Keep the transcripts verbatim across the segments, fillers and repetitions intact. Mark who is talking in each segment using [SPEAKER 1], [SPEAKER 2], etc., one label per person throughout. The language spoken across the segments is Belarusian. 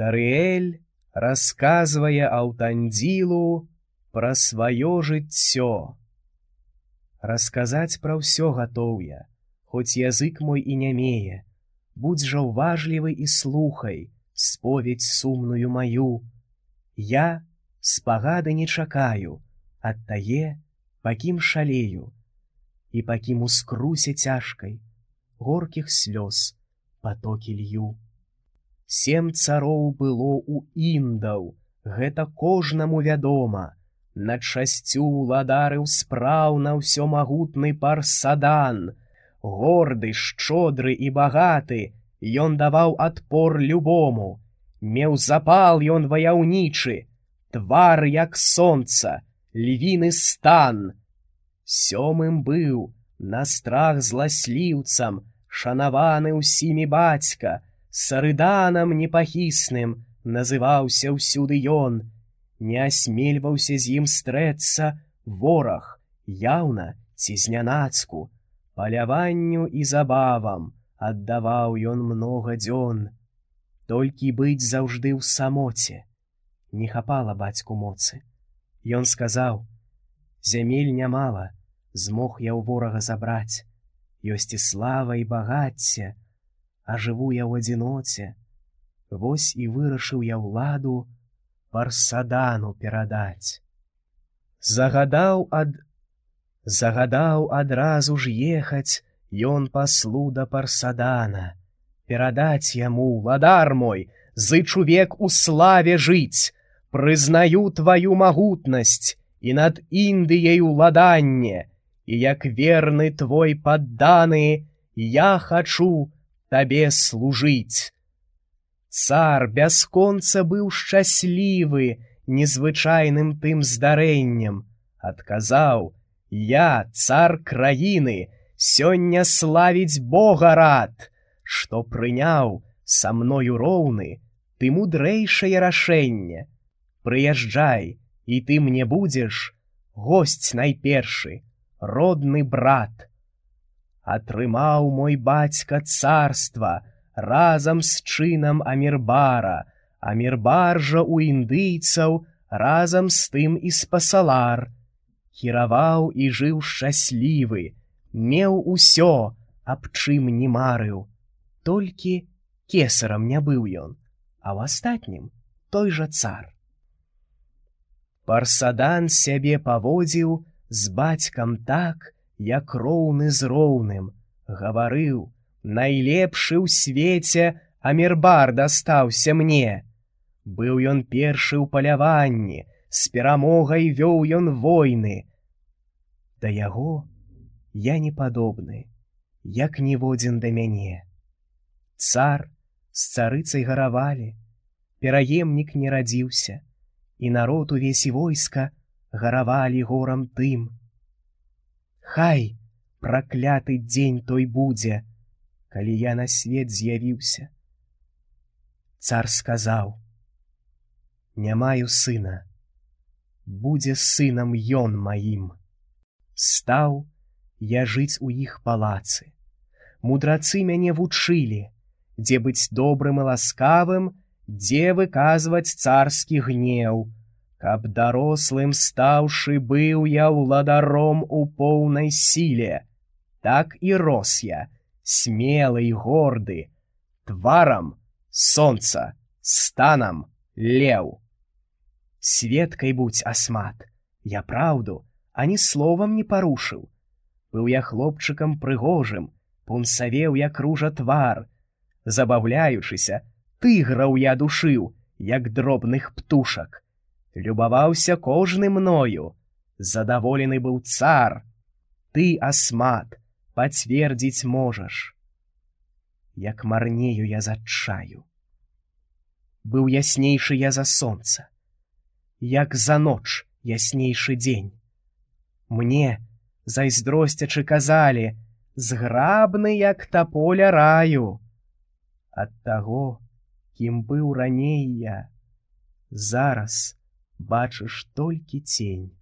[SPEAKER 1] Тарыэль расказвае Аўтандзілу пра сваё жыццё. Расказаць пра ўсё гатоў я, хоць язык мой і нямее. Будзь жа ўважлівы і слухай споведь сумную маю. Я спагады не чакаю ад тае, пакім шалею, і пакім у скрусе цяжкай горкіх слёз патокі лью. Сем цароў было ў індаў, гэта кожнаму вядома. Над шасцю ўладарыў спраўна ўсёмагутны Парсадан. Горды, шчодры і багаты, ён даваў адпор любому. Меў запал ён ваяўнічы, твар як сонца, львіны стан. Сёмым быў, на страх зласліўцам, шанаваны ўсімі бацька, Сарыданам непахісным называўся ўсюды ён. Не асмельваўся з ім стрэцца вораг, яўна ці знянацку. Паляванню і забавам аддаваў ён многа дзён. Толькі быць заўжды ў самоце не хапала бацьку моцы. Ён сказаў: зямель нямала, змог я ў ворага забраць. Ёсць і слава і багацце, а жыву я ў адзіноце. Вось і вырашыў я ўладу Парсадану перадаць. Загадаў ад... Загадаў адразу ж ехаць ён паслу да Парсадана. Перадаць яму: ладар мой, зычу век у славе жыць, прызнаю тваю магутнасць і над Індыяй уладанне, і як верны твой падданы, я хачу табе служыць. Цар бясконца быў шчаслівы незвычайным тым здарэннем. Адказаў: я, цар краіны, сёння славіць Бога рад, што прыняў са мною роўны ты мудрэйшае рашэнне. Прыязджай, і ты мне будзеш госць найпершы, родны брат. Атрымаў мой бацька царства разам з чынам Амірбара, Амірбар жа ў індыйцаў разам з тым і спасалар. Кіраваў і жыў шчаслівы, меў усё, аб чым не марыў. Толькі кесарам не быў ён, а ў астатнім той жа цар. Парсадан сябе паводзіў з бацькам так, як роўны з роўным. Гаварыў: найлепшы ў свеце Амірбар дастаўся мне. Быў ён першы ў паляванні, з перамогай вёў ён войны. Да яго я не падобны, як ніводзін да мяне. Цар з царыцай гаравалі, пераемнік не радзіўся, і народ увесь і войска гаравалі горам тым. Хай пракляты дзень той будзе, калі я на свет з'явіўся. Цар сказаў: не маю сына, будзе сынам ён маім. Стаў я жыць у іх палацы. Мудрацы мяне вучылі, дзе быць добрым і ласкавым, дзе выказваць царскі гнеў. Каб дарослым стаўшы, быў я ўладаром у поўнай сіле. Так і рос я, смелы і горды, тварам сонца, станам леў. Сведкай будзь, Асмат, я праўду ані словам не парушыў. Быў я хлопчыкам прыгожым, пунсавеў як ружа твар. Забаўляючыся, тыграў я душыў, як дробных птушак. Любаваўся кожны мною, задаволены быў цар. Ты, Асмат, пацвердзіць можаш, як марнею я з адчаю. Быў яснейшы я за сонца, як за ноч яснейшы дзень. Мне, зайздросцячы, казалі: зграбны, як таполя раю. Ад таго, кім быў раней я, зараз бачыш толькі цень.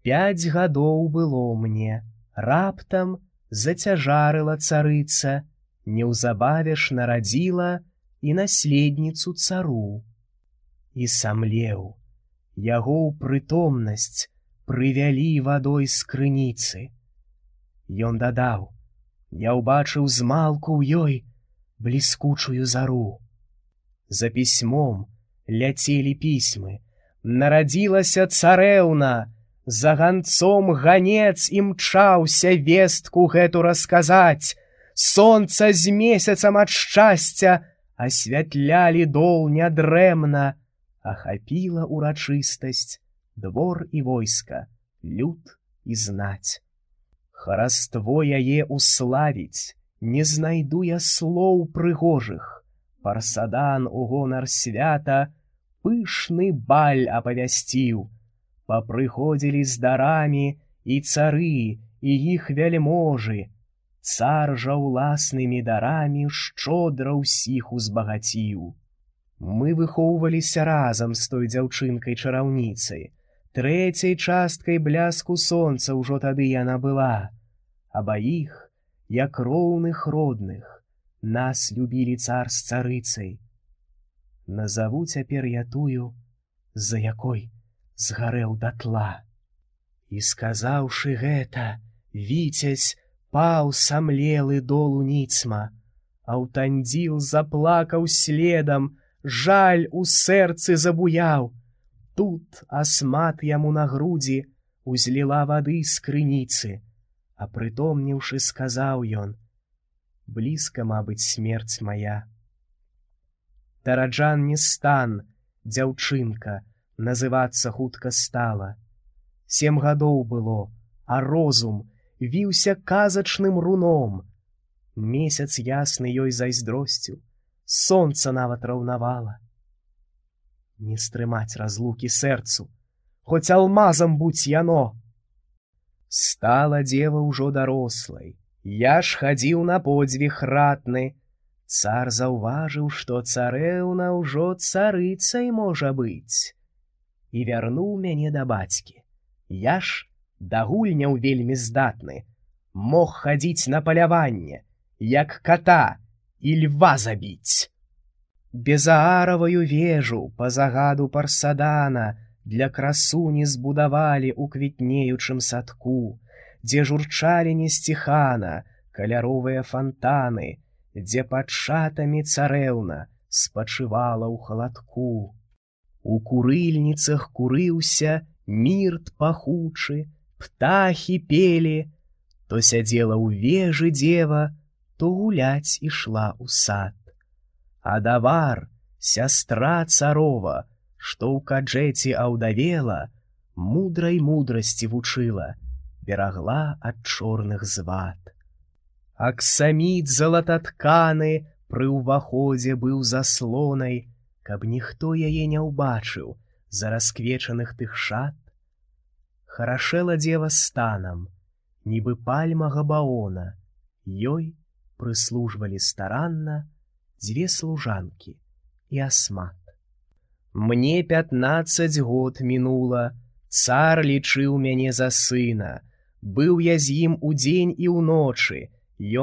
[SPEAKER 1] Пяць гадоў было мне, раптам зацяжарыла царыца, неўзабаве ж нарадзіла і наследніцу цару. І самлеў, яго ў прытомнасць прывялі вадой з крыніцы. Ён дадаў: я ўбачыў змалку ў ёй бліскучую зару. За пісьмом ляцелі пісьмы, нарадзілася царэўна, за ганцом ганец імчаўся вестку гэту расказаць. Сонца з месяцам ад шчасця асвятлялі дол нядрэмна, ахапіла урачыстасць двор і войска, люд і знаць. Хараство яе уславіць не знайду я слоў прыгожых. Парсадан у гонар свята пышны баль апавясціў. Папрыходзілі з дарамі і цары, і іх вяльможы. Цар жа ўласнымі дарамі шчодра ўсіх узбагаціў. Мы выхоўваліся разам з той дзяўчынкай-чараўніцай. Трэцяй часткай бляску сонца ўжо тады яна была. Абаіх, як роўных родных, нас любілі цар з царыцай. Назаву цяпер я тую, за якой згарэў датла. І сказаўшы гэта, віцязь паў самлелы долу ніцма, Аўтандзіл заплакаў следам, жаль у сэрцы забуяў. Тут асмат яму на грудзі узліла вады з крыніцы, а прытомніўшы сказаў ён: блізка, мабыць, смерць мая. Тараджан не стан, дзяўчынка, называцца хутка стала. Сем гадоў было, а розум віўся казачным руном. Месяц ясны ёй зайздросціў, сонца нават раўнавала. Не стрымаць разлукі сэрцу, хоць алмазам будь яно. Стала дева ўжо дарослай, я ж хадзіў на подзвіг ратны. Цар заўважыў, што царэўна ўжо царыцай можа быць, і вярнуў мяне да бацькі. Я ж да гульняў вельмі здатны, мог хадзіць на паляванне, як ката і льва забіць. Безаараваю вежу па загаду Парсадана для красуні збудавалі ў квітнеючым садку, дзе журчалі несціхана каляровыя фантаны, дзе пад шатамі царэўна спачывала ў халадку. У курыльніцах курыўся мірт пахучы, птахі пелі, то сядзела ў вежы дева, то гуляць ішла ў сад. А давар, сястра царова, што ў каджэці аўдавела, мудрай мудрасці вучыла, берагла ад чорных звад. Аксаміт залататканы пры ўваходзе быў заслонай, каб ніхто яе не ўбачыў за расквечаных тых шат. Харашэла дева станам, нібы пальма габаона, ёй прыслужвалі старанна дзве служанкі і асмат. Мне пятнаццаць год мінула, цар лічыў мяне за сына, быў я з ім удзень і ўночы,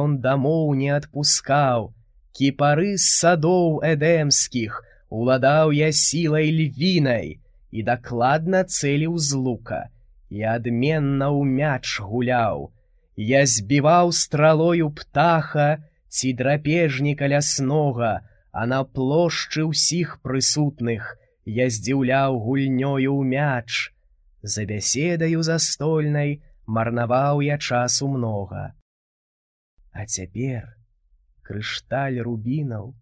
[SPEAKER 1] ён дамоў не адпускаў, кіпары з садоў эдэмскіх уладаў я сілай львінай і дакладна цэліў з лука, і адменна ў мяч гуляў. Я збіваў стралою птаха ці драпежніка ляснога, а на плошчы ўсіх прысутных я здзіўляў гульнёю ў мяч. За бяседаю застольнай марнаваў я часу многа. А цяпер крышталь рубінаў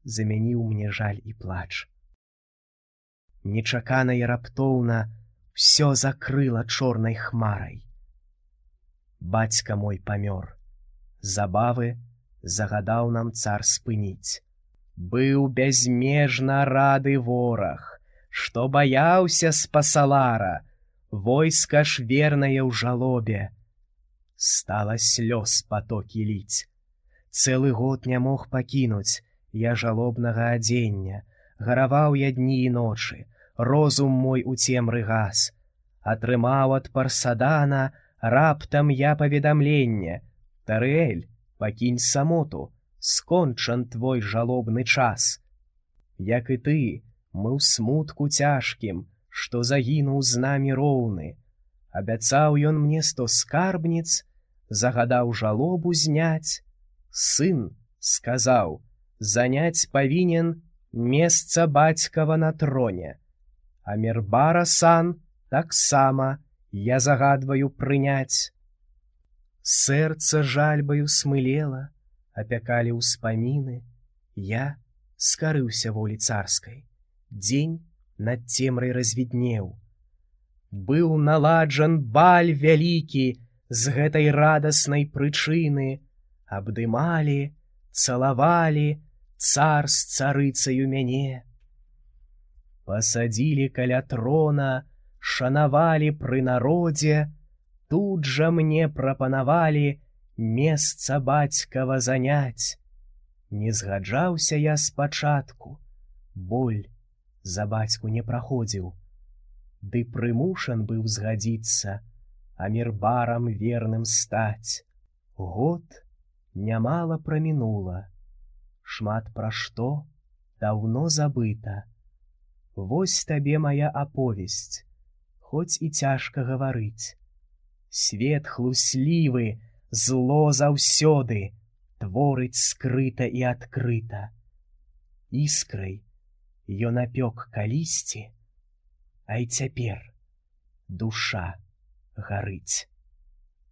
[SPEAKER 1] замяніў мне жаль і плач. Нечакана і раптоўна ўсё закрыла чорнай хмарай. Бацька мой памёр, забавы загадаў нам цар спыніць. Быў бязмежна рады вораг, што баяўся спасалара, войска ж вернае ў жалобе. Стала слёз патокі ліць. Цэлы год не мог пакінуць я жалобнага адзення, гараваў я дні і ночы, розум мой у цемры гас. Атрымаў ад Парсадана раптам я паведамленне: Тарэль, пакінь самоту, скончан твой жалобны час. Як і ты, мы ў смутку цяжкім, што загінуў з намі роўны. Абяцаў ён мне сто скарбніц, загадаў жалобу зняць. Сын сказаў, заняць павінен месца бацькава на троне. А Мірбара сан таксама я загадваю прыняць. Сэрца жальбаю смылела, апякалі ўспаміны. Я скарыўся волі царскай. Дзень над цемрай развіднеў. Быў наладжан баль вялікі з гэтай радаснай прычыны. Абдымалі, цалавалі цар з царыцаю мяне. Пасадзілі каля трона, шанавалі пры народзе, тут жа мне прапанавалі месца бацькава заняць. Не згаджаўся я спачатку, боль за бацьку не праходзіў. Ды прымушан быў згадзіцца, а Мірбарам верным стаць. Год нямала прамінула, шмат пра што даўно забыта. Вось табе мая аповесць, хоць і цяжка гаварыць. Свет хлуслівы, зло заўсёды, творыць скрыта і адкрыта. Іскрай ён апёк калісьці, а і цяпер душа гарыць.